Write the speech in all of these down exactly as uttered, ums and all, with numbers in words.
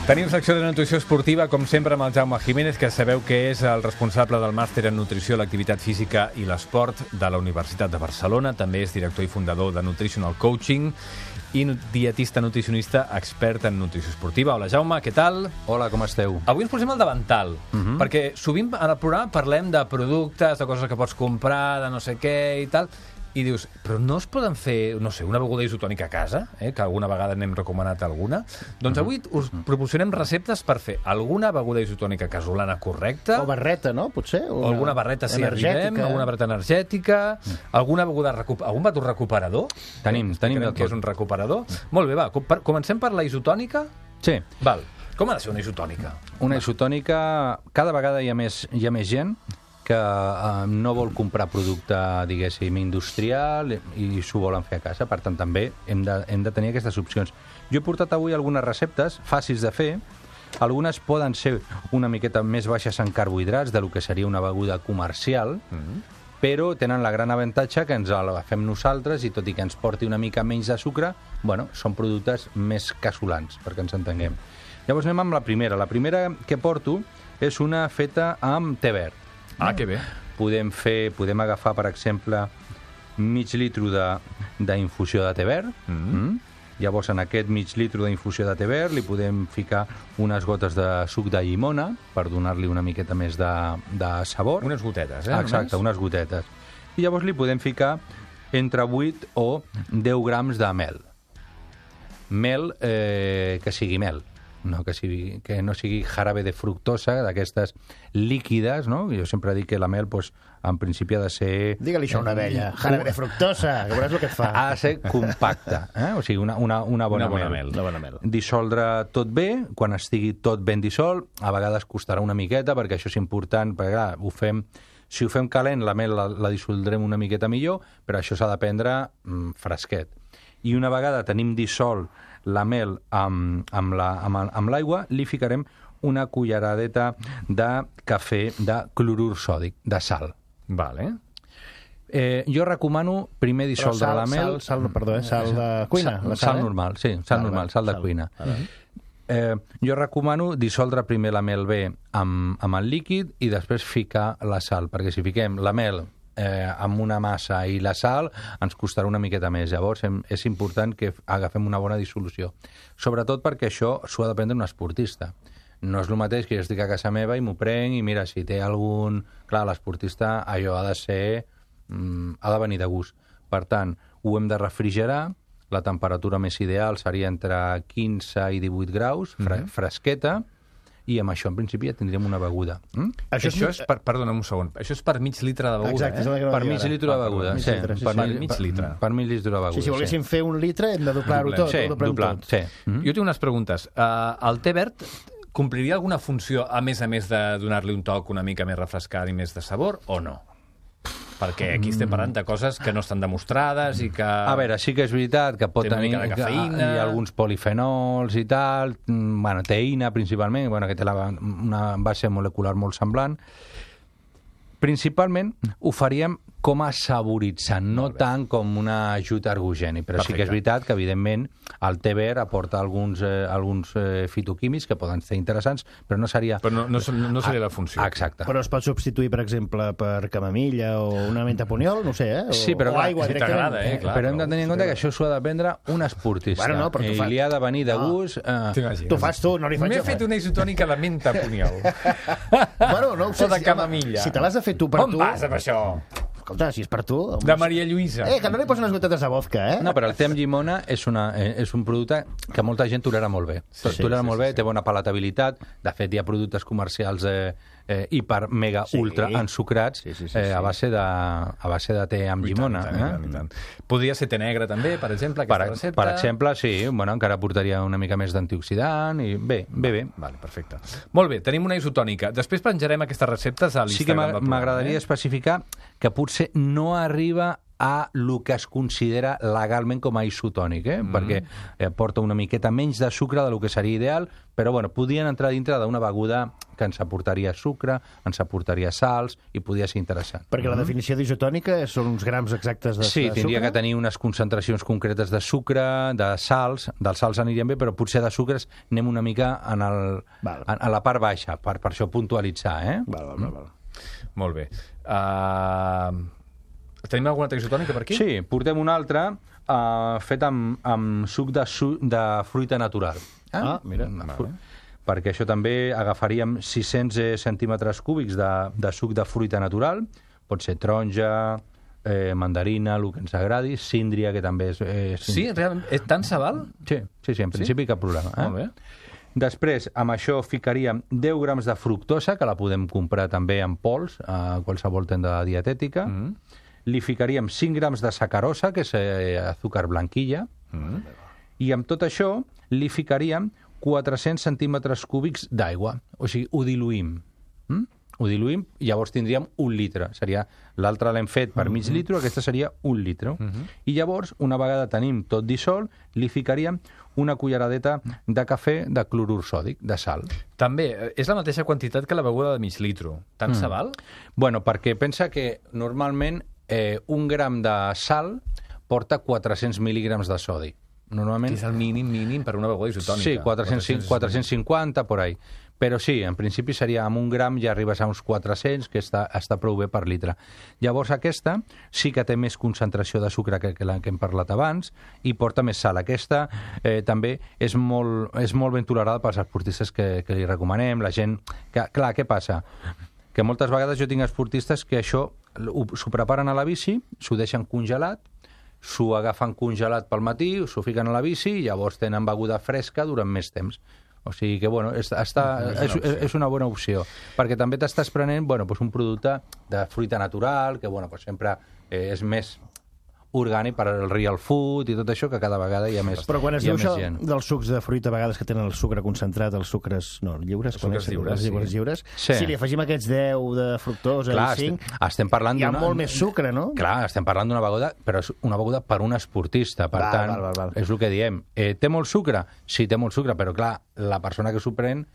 Tenim secció de nutrició esportiva, com sempre, amb el Jaume Jiménez, que sabeu que és el responsable del màster en nutrició, l'activitat física i l'esport de la Universitat de Barcelona. També és director i fundador de Nutritional Coaching i dietista nutricionista expert en nutrició esportiva. Hola, Jaume, què tal? Hola, com esteu? Avui ens posem al davantal, uh-huh. perquè sovint en el programa parlem de productes, de coses que pots comprar, de no sé què i tal, i dius, però no es poden fer, no sé, una beguda isotònica a casa, eh, que alguna vegada n'hem recomanat alguna? Doncs avui us proporcionem receptes per fer alguna beguda isotònica casolana correcta. O barreta, no? Potser? O alguna barreta, si arribem, alguna barreta energètica, alguna beguda, recup... algun bàtol recuperador. Tenim, eh, tenim de que tot. és un recuperador. Molt bé, va, com- comencem per la isotònica? Sí. Val. Com ha de ser una isotònica? Una isotònica, cada vegada hi ha més, hi ha més gent que eh, no vol comprar producte, diguéssim, industrial i s'ho volen fer a casa. Per tant, també hem de, hem de tenir aquestes opcions. Jo he portat avui algunes receptes fàcils de fer. Algunes poden ser una miqueta més baixes en carbohidrats de lo que seria una beguda comercial, mm-hmm. però tenen la gran avantatge que ens la fem nosaltres i tot i que ens porti una mica menys de sucre, bueno, són productes més casolans, perquè ens entenguem. Llavors anem amb la primera. La primera que porto és una feta amb te verd. Ah, que bé. Podem fer, podem agafar, per exemple, mig litre de- d'infusió de te verd. Mm-hmm. Mm? Llavors, en aquest mig litre d'infusió de te verd li podem ficar unes gotes de suc de llimona per donar-li una miqueta més de, de sabor. Unes gotetes, eh? Exacte, només? unes gotetes. I llavors li podem ficar entre vuit o deu grams de mel. Mel eh, que sigui mel. No, que, sigui, que no sigui jarabe de fructosa, d'aquestes líquides, no? Jo sempre dic que la mel, pues, en principi ha de ser... Digue-li això a una abella. Jarabe de fructosa, que veuràs el que et fa. Ha de ser compacta, eh? O sigui, una, una, una bona, Una bona mel. mel. Una bona mel. Dissoldre tot bé, quan estigui tot ben dissolt, a vegades costarà una miqueta, perquè això és important, perquè clar, ho fem... Si ho fem calent, la mel la, la dissoldrem una miqueta millor, però això s'ha de prendre mm, fresquet. I una vegada tenim dissolt la mel amb, amb, la, amb, amb l'aigua, li ficarem una culleradeta de cafè de clorur sòdic, de sal. Vale. Eh, jo recomano primer dissoldre sal, la mel... Sal, sal, perdó, eh? Sal de cuina. Sal, la sal eh? normal, sí, sal Val, normal, val, sal de sal. cuina. Val. Eh, jo recomano dissoldre primer la mel bé amb, amb el líquid i després ficar la sal, perquè si fiquem la mel eh, amb una massa i la sal ens costarà una miqueta més. Llavors hem, és important que agafem una bona dissolució. Sobretot perquè això s'ho ha de prendre un esportista. No és el mateix que jo estic a casa meva i m'ho prenc i mira, si té algun... Clar, l'esportista allò ha de ser... Mm, ha de venir de gust. Per tant, ho hem de refrigerar. La temperatura més ideal seria entre quinze i divuit graus, fre Mhm. fresqueta, i amb això, en principi, ja tindríem una beguda. Mm? Això, això és per, perdona'm un segon, això és per mig litre de beguda, Exacte, és eh? el que Per dir mig ara. litre de beguda, mig sí. litre, sí, per, sí. mig, Per mig litre. Per, per mig litre de beguda, Sí, si volguéssim fer un litre hem de doblar-ho tot. Sí, ho doblem doblar, tot. sí. Mm? Jo tinc unes preguntes. Uh, el te verd compliria alguna funció, a més a més de donar-li un toc una mica més refrescant i més de sabor, o no? Perquè aquí estem parlant de coses que no estan demostrades i que... A veure, sí que és veritat que pot Té una tenir mica de que cafeïna. hi ha alguns polifenols i tal, mm, bueno, teïna principalment, bueno, que té la, una base molecular molt semblant. Principalment ho faríem com a saboritzant, no tant com un ajut ergogènic, però sí que és Perfecte. veritat que, evidentment, el te verd aporta alguns, eh, alguns eh, fitoquímics que poden ser interessants, però no seria... Però no, no, no seria la funció. Exacte. Però es pot substituir, per exemple, per camamilla o una menta puniol, no ho sé, eh? O, Sí, però o clar, aigua si directament. t'agrada, eh, clar. però hem de tenir en compte que això s'ho ha de prendre un esportista. Bueno, no, però tu I fas- li ha de venir de gust... Eh, T'imagines? Tu fas tu, no li faig M'he jo. fet una isotònica de menta puniol. Bueno, no ho sé. O de si- camamilla. Si te l'has de fer tu per On tu... vas amb això? Escolta, si és per tu... Doncs... De Maria Lluïsa. Eh, que no li posen unes gotetes de vodka, eh? No, però el te amb llimona és, una, eh, és un producte que molta gent tolera molt bé. Sí, tolera sí, molt sí, bé, sí. té bona palatabilitat. De fet, hi ha productes comercials eh, eh, hiper, mega, Sí. ultra ensucrats Sí, sí, sí, eh, a, sí. base de, a base de te amb I tant, llimona. i tant, i tant, i tant. Podria ser te negre també, per exemple, Per, aquesta recepta? per exemple, sí, bueno, encara portaria una mica més d'antioxidant i bé, bé, bé. Vale, perfecte. Molt bé, tenim una isotònica. Després penjarem aquestes receptes a Sí que l'Instagram m'a- del programa. m'agradaria eh? especificar que potser no arriba a el que es considera legalment com a isotònic, eh? Mm. perquè eh, porta una miqueta menys de sucre del que seria ideal, però bueno, podien entrar dintre d'una beguda que ens aportaria sucre, ens aportaria sals i podia ser interessant. Perquè la definició d'isotònica són uns grams exactes de, sí, de sucre? Sí, tindria que tenir unes concentracions concretes de sucre, de sals, dels sals anirien bé, però potser de sucres anem una mica en, el, en, en la part baixa, per, per això puntualitzar, eh? Val, val, val. val. Molt bé. Uh... Tenim alguna altra isotònica per aquí? Sí, portem una altra uh, fet amb, amb suc de, su de fruita natural. Eh? Ah, mira. Vale. Perquè això també agafaríem sis-cents centímetres cúbics de, de suc de fruita natural, pot ser taronja, eh, mandarina, el que ens agradi, síndria, que també és... Eh, sí, realment, és tant se val? Sí, sí, sí, en principi sí? cap problema. Eh? Molt bé. Després, amb això ficaríem deu grams de fructosa, que la podem comprar també en pols, a qualsevol tenda dietètica. Mm. Li ficaríem cinc grams de sacarosa, que és eh, azúcar blanquilla. Mm. I amb tot això li ficaríem quatre-cents centímetres cúbics d'aigua. O sigui, ho diluïm. Mm? Ho diluïm i llavors tindríem un litre. Seria l'altre l'hem fet per mig litre, aquesta seria un litre. Mm-hmm. I llavors, una vegada tenim tot dissolt, li ficaríem una culleradeta de cafè de clorur sòdic, de sal. També, és la mateixa quantitat que la beguda de mig litro. Tant mm. se val? Bueno, perquè pensa que normalment eh, un gram de sal porta quatre-cents mil·lígrams de sodi. Normalment... És el mínim, mínim per una beguda isotònica. Sí, quatre-cents, quatre-cents cinquanta, por ahí. Però sí, en principi seria amb un gram ja arribes a uns quatre-cents, que està, està prou bé per litre. Llavors aquesta sí que té més concentració de sucre que, que la que hem parlat abans i porta més sal. Aquesta eh, també és molt, és molt ben tolerada pels esportistes que, que li recomanem, la gent... Que, clar, què passa? Que moltes vegades jo tinc esportistes que això s'ho preparen a la bici, s'ho deixen congelat, s'ho agafen congelat pel matí, s'ho fiquen a la bici i llavors tenen beguda fresca durant més temps. O sigui que, bueno, és, està, és, és, és una bona opció, perquè també t'estàs prenent, bueno, pues un producte de fruita natural, que, bueno, pues sempre eh, és més orgànic per al real food i tot això, que cada vegada hi ha més gent. Però quan es diu això gent. dels sucs de fruita, a vegades que tenen el sucre concentrat, els sucres, no, lliures, els sucres lliures, els lliures, sí. lliures, sí. Si li afegim aquests deu de fructosa, clar, i cinc, estem, estem parlant hi ha una... molt més sucre, no? Clar, estem parlant d'una beguda, però és una beguda per un esportista, per val, tant, val, val, val. és el que diem. Eh, té molt sucre? Sí, té molt sucre, però clar, la persona que s'ho pren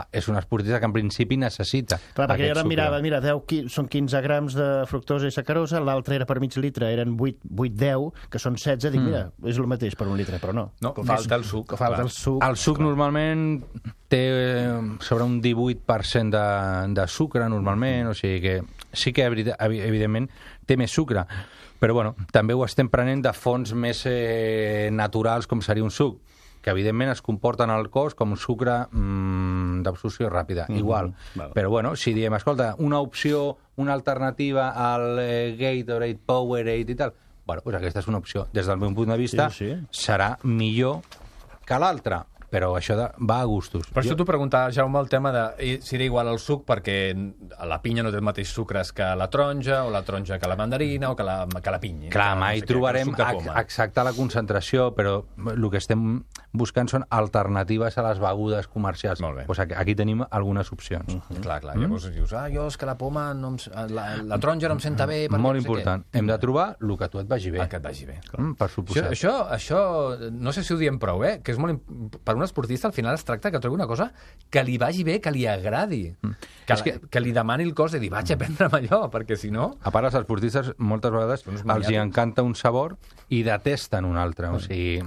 és un esportista que en principi necessita. Clar, perquè jo ara sucre. mirava, mira, deu, són quinze grams de fructosa i sacarosa, l'altre era per mig litre, eren vuit deu, que són setze, dic, mm. mira, és el mateix per un litre, però no. No, com falta el suc. Falta el suc. El suc clar. Normalment té sobre un divuit per cent de, de sucre, normalment, o sigui que sí que, evidentment, té més sucre. Però, bueno, també ho estem prenent de fonts més eh, naturals, com seria un suc, que evidentment es comporten al cos com un sucre mmm, d'absorció ràpida, mm-hmm. igual. Vale. Però bueno, si diem, escolta, una opció, una alternativa al eh, Gatorade, Powerade i tal, bueno, pues aquesta és una opció. Des del meu punt de vista, sí, sí. serà millor que l'altra, però això de, va a gustos. Per això t'ho preguntava, Jaume, el tema de si era igual al suc, perquè la pinya no té el mateix sucres que la taronja, o la taronja que la mandarina, o que la, que la pinya. Clar, mai no sé trobarem exacta la concentració, però el que estem buscant són alternatives a les begudes comercials. Molt bé. Pues aquí, aquí tenim algunes opcions. Uh -huh. Clar, clar. Mm? Llavors dius, ah, jo és que la poma, no em, la, la taronja no em senta bé. Molt no sé important. Què. Hem de trobar el que a tu et vagi bé. El que et vagi bé. Mm, per suposat. Això, això, això, no sé si ho diem prou, eh? Que és molt... Per un esportista, al final es tracta que trobi una cosa que li vagi bé, que li agradi. Mm. Que, la, que... que li demani el cos de dir, vaig a prendre'm allò, perquè si no... A part, els esportistes moltes vegades els hi encanta un sabor i detesten un altre. Mm. O sigui...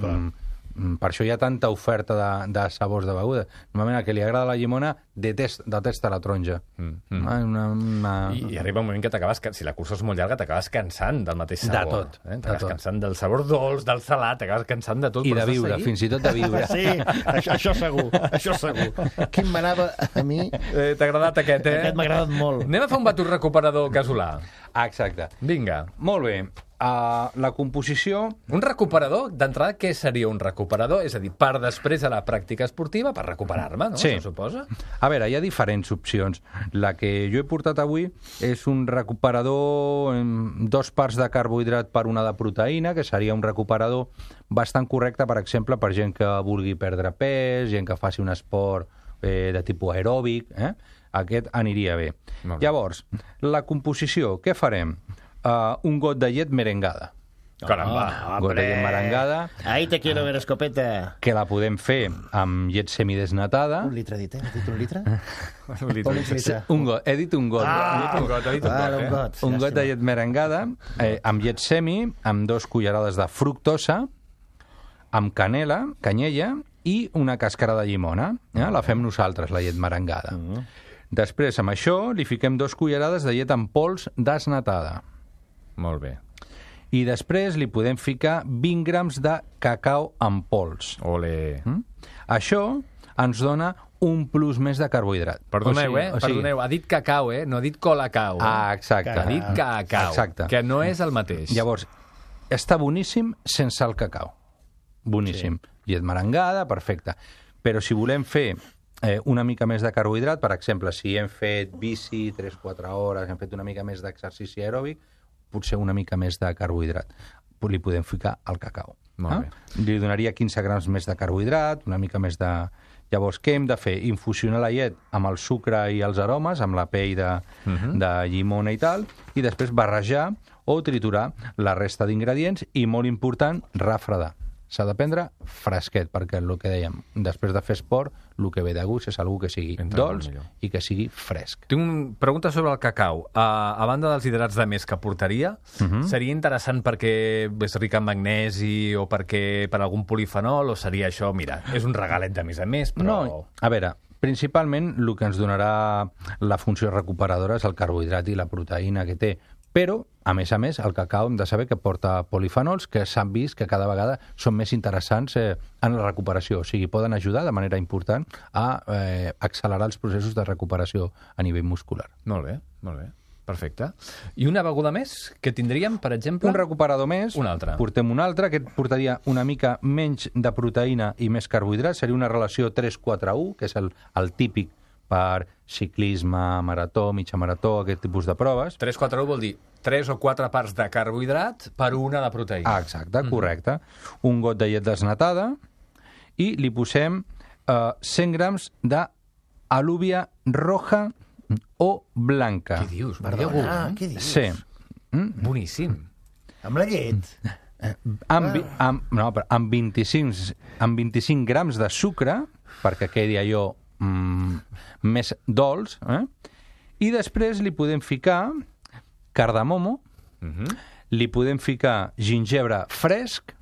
Mm, per això hi ha tanta oferta de, de sabors de beguda. Normalment, el que li agrada la llimona detesta, detesta la taronja. Mm, mm. Una, una... I, I arriba un moment que t'acabes, si la cursa és molt llarga, t'acabes cansant del mateix sabor. De tot. Eh? T'acabes cansant del sabor dolç, del salat, t'acabes cansant de tot. I de viure, fins i tot de viure. Sí, això, això segur, això segur. Quin m'anava a mi... Eh, T'ha agradat aquest, eh? Aquest m'ha agradat molt. Anem a fer un batut recuperador casolà. Exacte. Vinga. Molt bé. Uh, la composició... Un recuperador, d'entrada, què seria un recuperador? És a dir, per després de la pràctica esportiva, per recuperar-me, no? Sí. Això suposa? A veure, hi ha diferents opcions. La que jo he portat avui és un recuperador amb dos parts de carbohidrat per una de proteïna, que seria un recuperador bastant correcte, per exemple, per gent que vulgui perdre pes, gent que faci un esport eh, de tipus aeròbic, eh? Aquest aniria bé. Llavors, la composició, què farem? Uh, un got de llet merengada. Caramba. Gota de llet merengada, Ahí te quiero ver, escopeta. que la podem fer amb llet semidesnatada. Un litre, dit, eh? Has dit un litre? Un litre. Un litre. Un got, he dit un got. Ah, un got, he dit un ah, got, un eh? got. Un got de llet merengada, eh, amb llet semi, amb dos cullerades de fructosa, amb canela, canyella i una càscara de llimona. Eh? La fem nosaltres, la llet merengada. Mm. Després, amb això, li fiquem dos cullerades de llet en pols desnatada. Molt bé. I després li podem ficar vint grams de cacau en pols. Ole. Mm? Això ens dona un plus més de carbohidrat. Perdoneu, O sigui- eh? o sigui- Perdoneu. Ha dit cacau, eh? No ha dit colacao. Eh? Ah, exacte. Ha dit cacau. Exacte. Que no és el mateix. Llavors, està boníssim sense el cacau. Boníssim. Sí. Llet merengada, perfecte. Però si volem fer eh, una mica més de carbohidrat, per exemple, si hem fet bici tres quatre hores, hem fet una mica més d'exercici aeròbic, potser una mica més de carbohidrat. Li podem ficar al cacau. Molt bé. Li donaria quinze grams més de carbohidrat, una mica més de... Llavors, què hem de fer? Infusionar la llet amb el sucre i els aromes, amb la pell de, uh-huh. de llimona i tal, i després barrejar o triturar la resta d'ingredients i, molt important, refredar. S'ha de prendre fresquet, perquè el que dèiem, després de fer esport, el que ve de gust és algú que sigui Entra dolç molt millor. i que sigui fresc. Tinc una pregunta sobre el cacau. A, a banda dels hidrats de més que portaria, uh -huh. seria interessant perquè és ric en magnesi o perquè per algun polifenol, o seria això, mira, és un regalet de més a més, però... No, a veure, principalment el que ens donarà la funció recuperadora és el carbohidrat i la proteïna que té, però, a més a més, el cacau hem de saber que porta polifenols que s'han vist que cada vegada són més interessants eh, en la recuperació, o sigui, poden ajudar de manera important a eh, accelerar els processos de recuperació a nivell muscular. Molt bé, molt bé. Perfecte. I una beguda més que tindríem, per exemple? Un recuperador més, Un altre. portem un altre, que portaria una mica menys de proteïna i més carbohidrat, seria una relació tres quatre u, que és el, el típic per ciclisme, marató, mitja marató, aquest tipus de proves. tres quatre u vol dir tres o quatre parts de carbohidrat per una de proteïna. Ah, exacte, correcte. Un got de llet desnatada i li posem eh, cent grams d'alúvia roja o blanca. Què dius? Un Perdona, iogurt? què dius? Sí. Mm? Boníssim. Amb la llet? Amb, vi- amb, no, però amb, vint-i-cinc, amb vint-i-cinc grams de sucre, perquè quedi allò mm, més dolç, eh? I després li podem ficar cardamomo, Uh -huh. li podem ficar gingebre fresc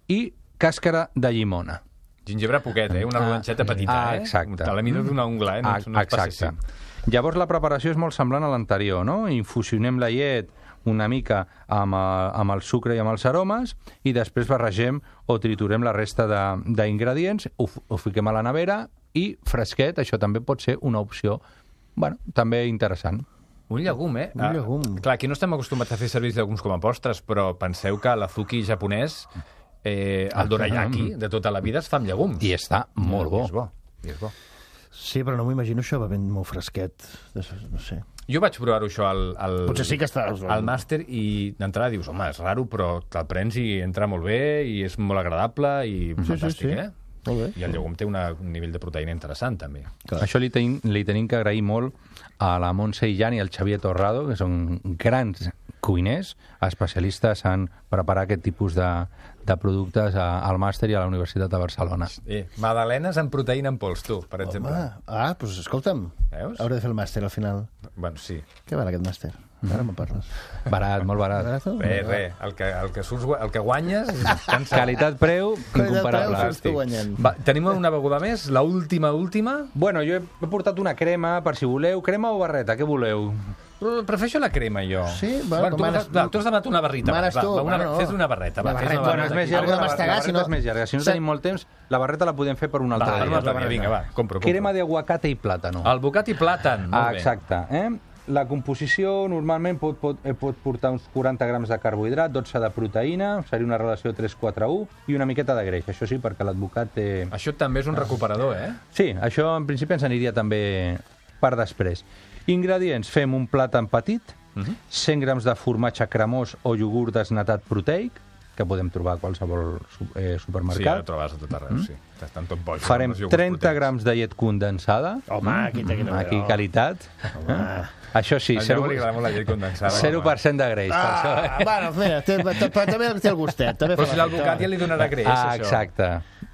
i càscara de llimona. Gingebre poquet, eh? Una rodanxeta petita, ah, eh? exacte. A la mida d'una ungla, eh? No, Ah, no és exacte. passíssim. Llavors la preparació és molt semblant a l'anterior, no? Infusionem la llet una mica amb, eh, amb el sucre i amb els aromes i després barregem o triturem la resta de- d'ingredients, ho, f- ho fiquem a la nevera i fresquet, això també pot ser una opció, bueno, també interessant. Un llegum, eh? Un llegum. Ah, clar, aquí no estem acostumats a fer servir els llegums com a postres, però penseu que l'azuki japonès, eh, el dorayaki, de tota la vida, es fa amb llegums. I està molt bo. I és bo. I és bo. Sí, però no m'ho imagino això bevent molt fresquet. No sé. Jo vaig provar-ho això al, al, Potser sí que està... al màster i d'entrada dius, home, és raro, però te'l prens i entra molt bé i és molt agradable i sí, fantàstic, sí. eh? Molt bé. I el llegum té una, un nivell de proteïna interessant, també. Clar. Això li tenim, li tenim que agrair molt a la Montse Illán i al Xavier Torrado, que són grans cuiners, especialistes en preparar aquest tipus de, de productes a, al màster i a la Universitat de Barcelona. Eh, magdalenes amb proteïna en pols, tu, per exemple. Home, ah, doncs escolta'm. Veus? Hauré de fer el màster al final. Bueno, sí. Què val aquest màster? Ara me'n parles. Barat, molt barat. Barato? Res, res. El que, el que, surts, el que guanyes... cansa. Qualitat-preu Qualitat-preu, incomparable. surts tu guanyant. Va, tenim una beguda més, la última, última. Bueno, jo he, he portat una crema, per si voleu. Crema o barreta, què voleu? Però prefereixo la crema, jo. Sí? Va, bueno, tu, manes- va, tu has demanat una barrita. Manes va, tu, va, una, bueno. Fes una barreta. Va, La fes una barreta, Bueno, és barreta. més Algo llarga, de la, la mastegar, barreta si no- és més llarga. Si no Sa- tenim molt temps, la barreta la podem fer per un altre Va, per un dia. altre dia, vinga, va, compro, compro. Crema de aguacate i plàtano. El bocat i plàtan, molt Ah, bé. exacte. Eh? La composició normalment pot, pot, eh, pot portar uns quaranta grams de carbohidrat, dotze de proteïna, seria una relació tres quatre u, i una miqueta de greix. Això sí, perquè l'advocat té... Això també és un recuperador, eh? Sí, això en principi ens aniria també per després. Ingredients, fem un plàtan petit, Uh -huh. cent grams de formatge cremós o iogurt desnatat proteic, que podem trobar a qualsevol eh, Sí, supermercat. ara trobes a tot arreu, sí. Estan tot boig. Farem els iogurts trenta proteïns. grams de llet condensada. Home, aquí té que Aquí qualitat. Home. Això sí, Al zero Jaume li agrada molt la llet condensada. zero per cent de greix. per Ah, això. bueno, mira, té, té, però també té el gustet. També Però fa si la l'advocat ja li donarà greix, Ah, això. exacte.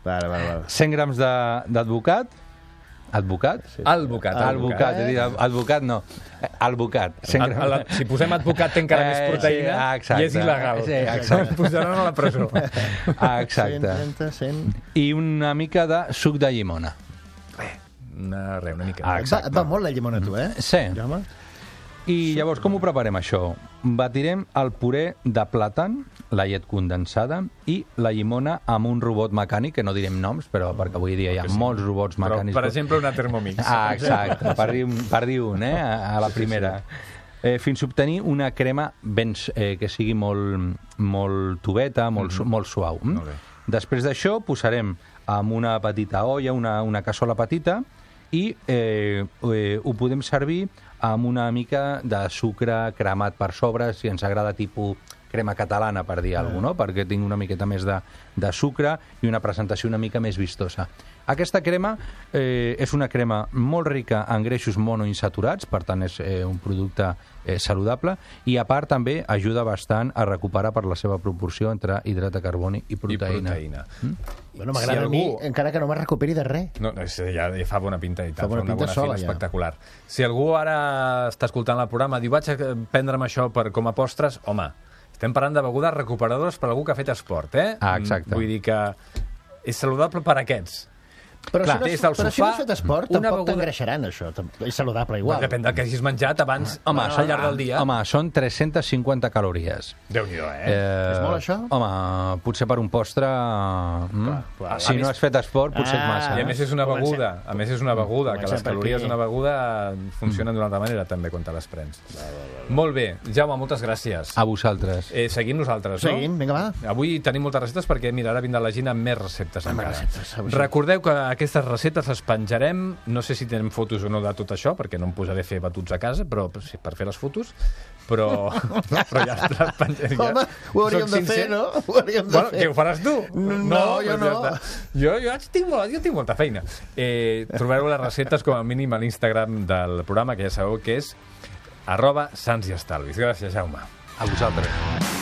Vale, vale, vale. cent grams de- d'advocat. Advocat? Advocat. Advocat, he dit advocat no. Advocat. cent A, a grams. la, si posem advocat té encara més Eh, proteïna sí, ah, exacte. i és il·legal. Sí, exacte. Ens posaran a la presó. Ah, exacte. cent trenta, cent... I una mica de suc de llimona. Una, res, una mica. Ah, Et va, et va molt la llimona, tu, eh? Sí. Jaume? I llavors, com ho preparem, això? Batirem el puré de plàtan, la llet condensada i la llimona amb un robot mecànic, que no direm noms, però perquè avui dia hi ha sí. molts robots Però, mecànics. per exemple, una Thermomix. Ah, exacte, per dir, un- per dir un, eh, a, a la primera. Eh, fins a obtenir una crema ben, eh, que sigui molt, molt tubeta, molt, su molt suau. Mm? Molt bé. Després d'això posarem amb una petita olla, una, una cassola petita, i eh, eh, ho podem servir amb una mica de sucre cremat per sobre, si ens agrada tipus crema catalana, per dir alguna cosa, no? Perquè tinc una miqueta més de, de sucre i una presentació una mica més vistosa. Aquesta crema eh, és una crema molt rica en greixos monoinsaturats, per tant és eh, un producte eh, saludable, i a part també ajuda bastant a recuperar per la seva proporció entre hidrat de carboni i I proteïna. proteïna. Bueno, m'agrada Si a mi, algú- encara que no me recuperi de res. No, no, sí, ja, ja fa bona pinta i tal, Fa bona fa una pinta bona sola, fila ja. espectacular. Si algú ara està escoltant el programa i diu vaig a prendre'm això per, com a postres, home, estem parlant de begudes recuperadores per algú que ha fet esport, eh? Ah, exacte. Vull dir que és saludable per a aquests. Però, Clar, si, no, des has- del però si sofà, no has fet esport, una tampoc beguda- t'engreixaran, això. Tam- És saludable igual. Depèn del que hagis menjat abans, Home, al són, llarg del dia. home, són tres-centes cinquanta calories. Déu-n'hi-do, eh? Eh, És molt, això? Home, potser per un postre... Mm, clar, si a no més- has fet esport, potser és Ah, massa. I a més és una Comencem. beguda, a més és una beguda, que Comencem les per calories aquí. d'una beguda funcionen d'una altra manera també quan te les prens. Molt bé, Jaume, moltes gràcies. A vosaltres. Eh, seguim nosaltres, no? Seguim, vinga, va. Avui tenim moltes receptes perquè, mira, ara vindrà la Gina amb més receptes Amb encara. receptes, avui sí. Recordeu que aquestes receptes les penjarem, no sé si tenen fotos o no de tot això, perquè no em posaré a fer batuts a casa, però sí, per fer les fotos, però, però ja les penjarem. Home, ho hauríem Soc de fer, sincer. no? Ho hauríem de Bueno, fer. que ho faràs tu? No, jo doncs no. ja està. Jo, jo, tinc, molt, jo tinc molta feina. Eh, trobareu les receptes com a mínim a l'Instagram del programa, que ja sabeu que és arroba Sants i Estalvis. Gràcies, Jaume. A vosaltres.